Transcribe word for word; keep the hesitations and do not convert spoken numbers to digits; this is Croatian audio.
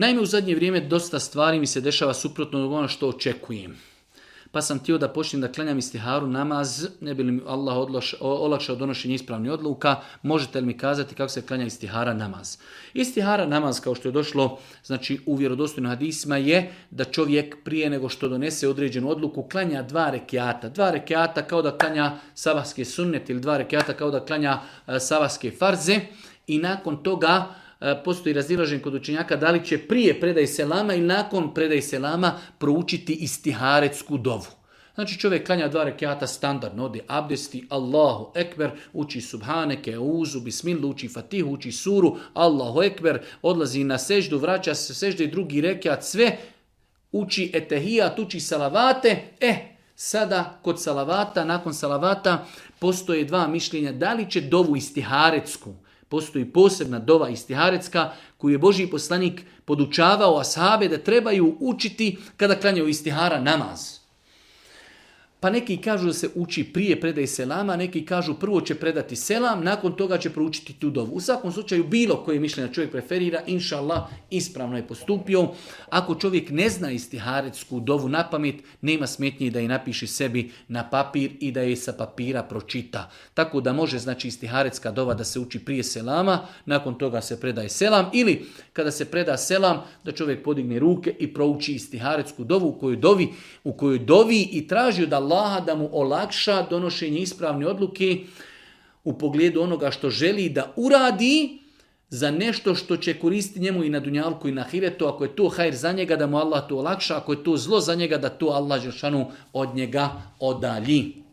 Naime, u zadnje vrijeme dosta stvari mi se dešava suprotno od ono što očekujem. Pa sam htio da počnem da klanjam istiharu namaz, ne bi li mi Allah odloš, olakšao donošenje ispravnih odluka, možete li mi kazati kako se klanja istihara namaz? Istihara namaz, kao što je došlo znači, u vjerodostojnim hadisima, je da čovjek prije nego što donese određenu odluku klanja dva rekiata. Dva rekiata kao da klanja sabahske sunnet ili dva rekiata kao da klanja uh, sabahske farze i nakon toga postoji razilaženje kod učenjaka da li će prije predaj selama i nakon predaj selama proučiti istiharetsku dovu. Znači čovjek klanja dva rekiata standardno, ode abdesti, Allahu ekber, uči subhaneke, uzu, bismillu, uči fatihu, uči suru, Allahu ekber, odlazi na seždu, vraća se sežde i drugi rekiat, sve uči etehijat, uči salavate. E, sada kod salavata, nakon salavata postoje dva mišljenja da li će dovu istiharetsku. Postoji posebna dova istiharetska koju je Božji poslanik podučavao ashabe da trebaju učiti kada klanjaju istihara namaz. Pa neki kažu da se uči prije predaje selama, neki kažu prvo će predati selam, nakon toga će proučiti tu dovu. U svakom slučaju bilo koje mišljenje čovjek preferira, inša Allah, ispravno je postupio. Ako čovjek ne zna istiharetsku dovu na pamet, nema smetnje da je napiše sebi na papir i da je sa papira pročita. Tako da može znači istiharetska dova da se uči prije selama, nakon toga se predaje selam ili kada se preda selam da čovjek podigne ruke i prouči istiharetsku dovu u kojoj dovi, u kojoj dovi i traži od Allaha da mu olakša donošenje ispravne odluke u pogledu onoga što želi da uradi za nešto što će koristiti njemu i na dunjalku i na ahiretu. Ako je to hajr za njega, da mu Allah to olakša. Ako je to zlo za njega, da to Allah dželešanu od njega odalji.